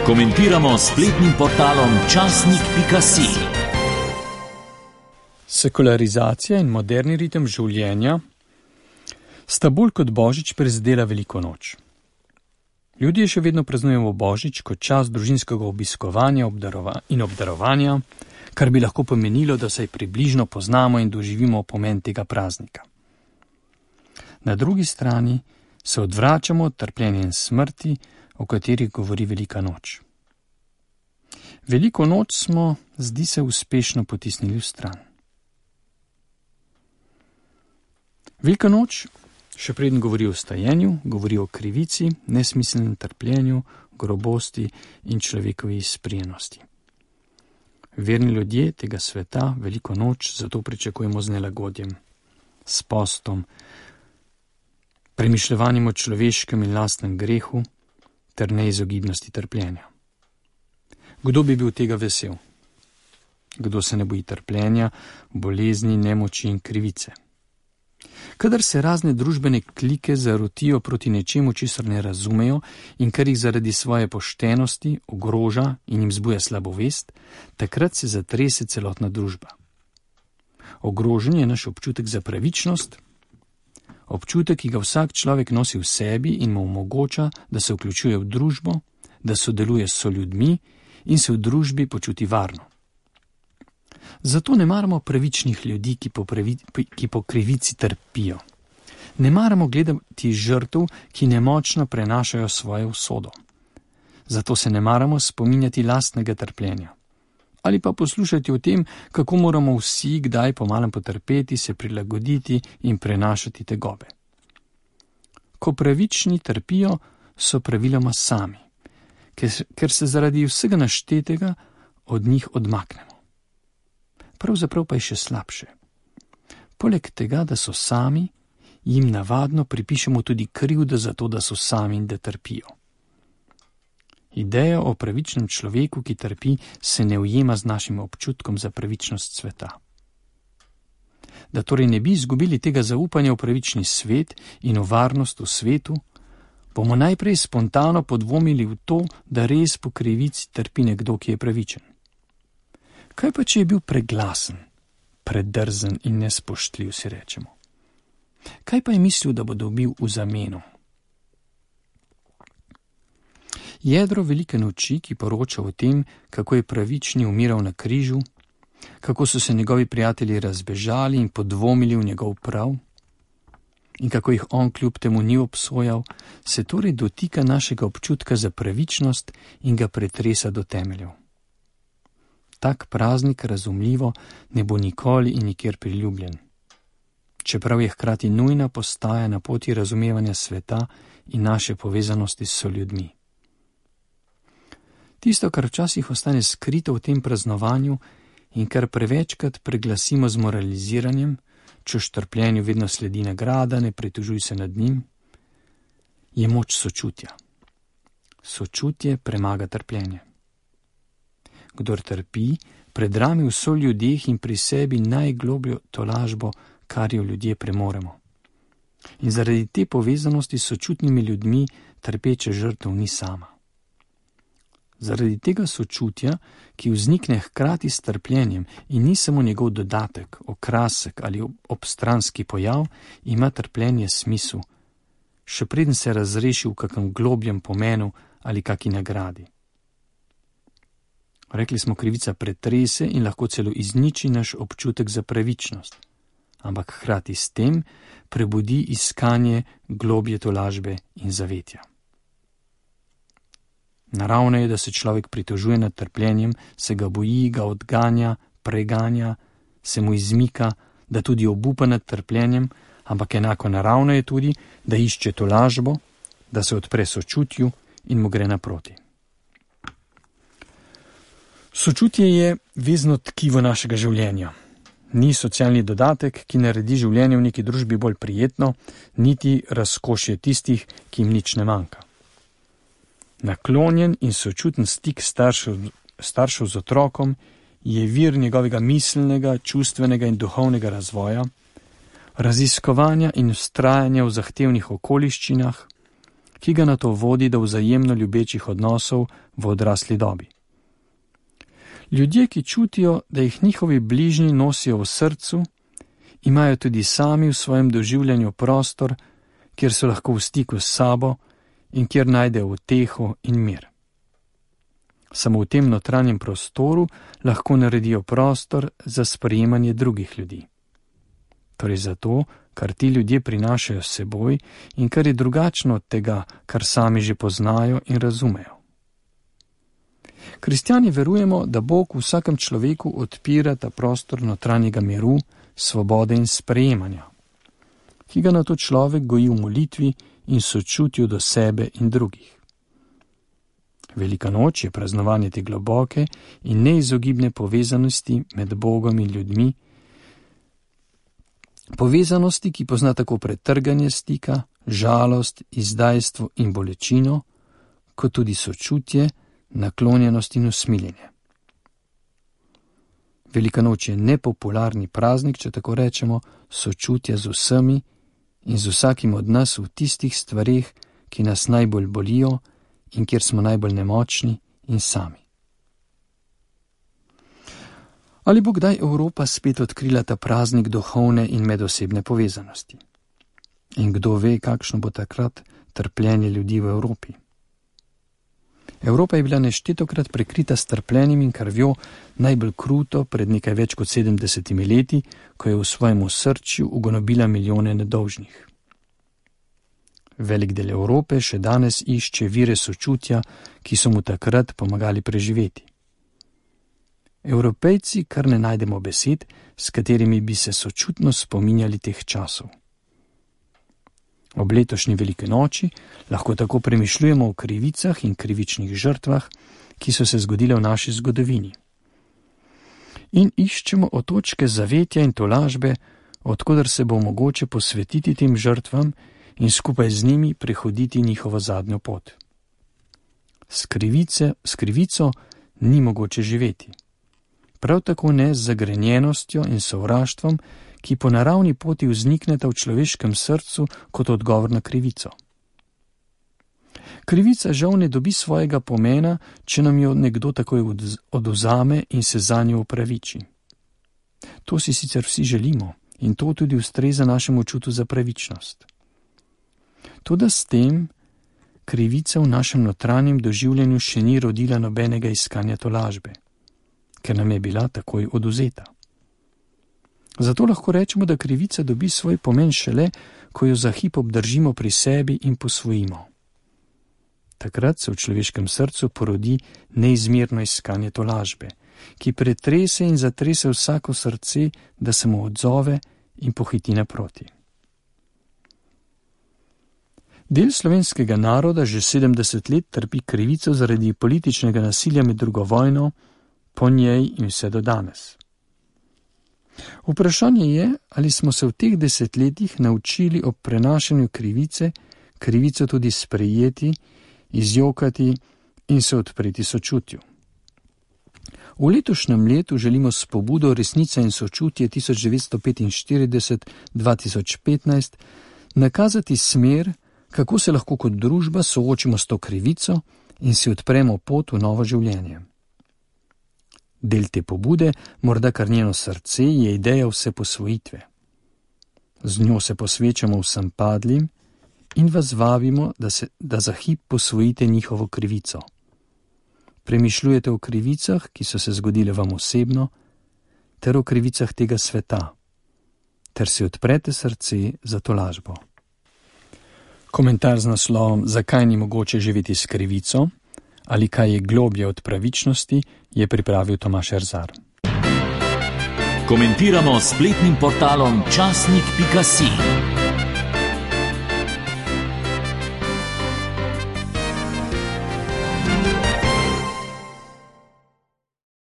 Komentiramo spletnim portalom časnik.si. Sekularizacija in moderni ritem življenja sta bolj kot Božič prizadela Veliko noč. Ljudje še vedno praznujemo Božič kot čas družinskega obiskovanja in obdarovanja, kar bi lahko pomenilo, da se približno poznamo in doživimo pomen tega praznika. Na drugi strani se odvračamo od trpljenja in smrti, o katerih govori Velika noč. Veliko noč smo, zdi se, uspešno potisnili v stran. Velika noč še preden govori o stajenju, govori o krivici, nesmiselnem trpljenju, grobosti in človekovi izprijenosti. Verni ljudje tega sveta Veliko noč zato pričakujemo z nelagodjem, s postom, premišljevanjem o človeškem in lastnem grehu ter neizogibnosti trpljenja. Kdo bi bil tega vesel? Kdo se ne boji trpljenja, bolezni, nemoči in krivice? Kadar se razne družbene klike zarotijo proti nečemu, česar ne razumejo in kar jih zaradi svoje poštenosti ogroža in jim zbuja slabovest, takrat se zatrese celotna družba. Ogrožen je naš občutek za pravičnost, občutek, ki ga vsak človek nosi v sebi in mu omogoča, da se vključuje v družbo, da sodeluje s soljudmi in se v družbi počuti varno. Zato ne maramo pravičnih ljudi, ki po krivici trpijo. Ne maramo gledati žrtev, ki nemočno prenašajo svojo usodo. Zato se ne maramo spominjati lastnega trpljenja. Ali pa poslušati o tem, kako moramo vsi kdaj pomalem potrpeti, se prilagoditi in prenašati tegobe. Ko pravični trpijo, so praviloma sami, ker se zaradi vsega naštetega od njih odmaknemo. Pravzaprav pa je še slabše. Poleg tega, da so sami, jim navadno pripišemo tudi krivdo za to, da so sami in da trpijo. Ideja o pravičnem človeku, ki trpi, se ne ujema z našim občutkom za pravičnost sveta. Da torej ne bi izgubili tega zaupanja v pravični svet in v varnost v svetu, bomo najprej spontano podvomili v to, da res po krivici trpi nekdo, ki je pravičen. Kaj pa, če je bil preglasen, predrzen in nespoštljiv, si rečemo? Kaj pa je mislil, da bo dobil v zameno? Jedro Velike noči, ki poroča o tem, kako je pravični umiral na križu, kako so se njegovi prijatelji razbežali in podvomili v njegov prav in kako jih on kljub temu ni obsojal, se torej dotika našega občutka za pravičnost in ga pretresa do temeljev. Tak praznik, razumljivo, ne bo nikoli in nikjer priljubljen, čeprav je hkrati nujna postaja na poti razumevanja sveta in naše povezanosti s soljudmi. Tisto, kar včasih ostane skrito v tem praznovanju in kar prevečkrat preglasimo z moraliziranjem, češ trpljenju vedno sledi nagrada, ne pritožuj se nad njim, je moč sočutja. Sočutje premaga trpljenje. Kdor trpi, predrami v soljudeh in pri sebi najglobljo tolažbo, kar jo ljudje premoremo. In zaradi te povezanosti s sočutnimi ljudmi trpeče žrtev ni sama. Zaradi tega sočutja, ki vznikne hkrati s trpljenjem in ni samo njegov dodatek, okrasek ali obstranski pojav, ima trpljenje smisel, še preden se razreši v kakem globjem pomenu ali kaki nagradi. Rekli smo, krivica pretrese in lahko celo izniči naš občutek za pravičnost, ampak hkrati s tem prebudi iskanje globje tolažbe in zavetja. Naravno je, da se človek pritožuje nad trpljenjem, se ga boji, ga odganja, preganja, se mu izmika, da tudi obupa nad trpljenjem, ampak enako naravno je tudi, da išče tolažbo, da se odpre sočutju in mu gre naproti. Sočutje je vezno tkivo našega življenja. Ni socialni dodatek, ki naredi življenje v neki družbi bolj prijetno, niti razkošje tistih, ki jim nič ne manjka. Naklonjen in sočuten stik staršev z otrokom je vir njegovega miselnega, čustvenega in duhovnega razvoja, raziskovanja in vztrajanja v zahtevnih okoliščinah, ki ga nato vodi do vzajemno ljubečih odnosov v odrasli dobi. Ljudje, ki čutijo, da jih njihovi bližnji nosijo v srcu, imajo tudi sami v svojem doživljanju prostor, kjer so lahko v stiku s sabo in kjer najdejo uteho in mir. Samo v tem notranjem prostoru lahko naredijo prostor za sprejemanje drugih ljudi. Torej zato, kar ti ljudje prinašajo s seboj in kar je drugačno od tega, kar sami že poznajo in razumejo. Kristjani verujemo, da Bog v vsakem človeku odpira ta prostor notranjega miru, svobode in sprejemanja, ki ga nato človek goji v molitvi in sočutju do sebe in drugih. Velika noč je praznovanje te globoke in neizogibne povezanosti med Bogom in ljudmi, povezanosti, ki pozna tako pretrganje stika, žalost, izdajstvo in bolečino, kot tudi sočutje, naklonjenost in usmiljenje. Velika noč je nepopularni praznik, če tako rečemo, sočutja z vsemi in z vsakim od nas v tistih stvareh, ki nas najbolj bolijo in kjer smo najbolj nemočni in sami. Ali bo kdaj Evropa spet odkrila ta praznik duhovne in medosebne povezanosti? In kdo ve, kakšno bo takrat trpljenje ljudi v Evropi? Evropa je bila neštetokrat prekrita s trpljenjem in krvjo, najbolj kruto pred nekaj več kot 70 leti, ko je v svojem osrčju ugonobila milijone nedolžnih. Velik del Evrope še danes išče vire sočutja, ki so mu takrat pomagali preživeti. Evropejci kar ne najdemo besed, s katerimi bi se sočutno spominjali teh časov. Ob letošnji veliki noči lahko tako premišljujemo o krivicah in krivičnih žrtvah, ki so se zgodile v naši zgodovini. In iščemo otočke zavetja in tolažbe, odkudar se bo mogoče posvetiti tem žrtvam in skupaj z njimi prehoditi njihovo zadnjo pot. S krivico ni mogoče živeti. Prav tako ne z zagrenjenostjo in sovraštvom, ki po naravni poti vznikneta v človeškem srcu kot odgovor na krivico. Krivica žal ne dobi svojega pomena, če nam jo nekdo takoj odvzame in se zanjo upraviči. To si sicer vsi želimo in to tudi ustreza našemu čutu za pravičnost. Toda s tem krivica v našem notranjem doživljanju še ni rodila nobenega iskanja tolažbe, ker nam je bila takoj odvzeta. Zato lahko rečemo, da krivica dobi svoj pomen šele, ko jo za hip obdržimo pri sebi in posvojimo. Takrat se v človeškem srcu porodi neizmerno iskanje tolažbe, ki pretrese in zatrese vsako srce, da se mu odzove in pohiti naproti. Del slovenskega naroda že 70 let trpi krivico zaradi političnega nasilja med drugo vojno, po njej in vse do danes. Vprašanje je, ali smo se v teh desetletjih naučili ob prenašanju krivico tudi sprejeti, izjokati in se odpreti sočutju. V letošnjem letu želimo s pobudo Resnica in sočutje 1945-2015 nakazati smer, kako se lahko kot družba soočimo s to krivico in si odpremo pot v novo življenje. Del te pobude, morda kar njeno srce, je ideja vse posvojitve. Z njo se posvečamo vsem padlim in vas vabimo, da za hip posvojite njihovo krivico. Premišljujete o krivicah, ki so se zgodile vam osebno, ter o krivicah tega sveta, ter si odprete srce za tolažbo. Komentar z naslovom Zakaj ni mogoče živeti s krivico ali kaj je globlje od pravičnosti, je pripravil Tomaž Erzar. Komentiramo s spletnim portalom časnik.si.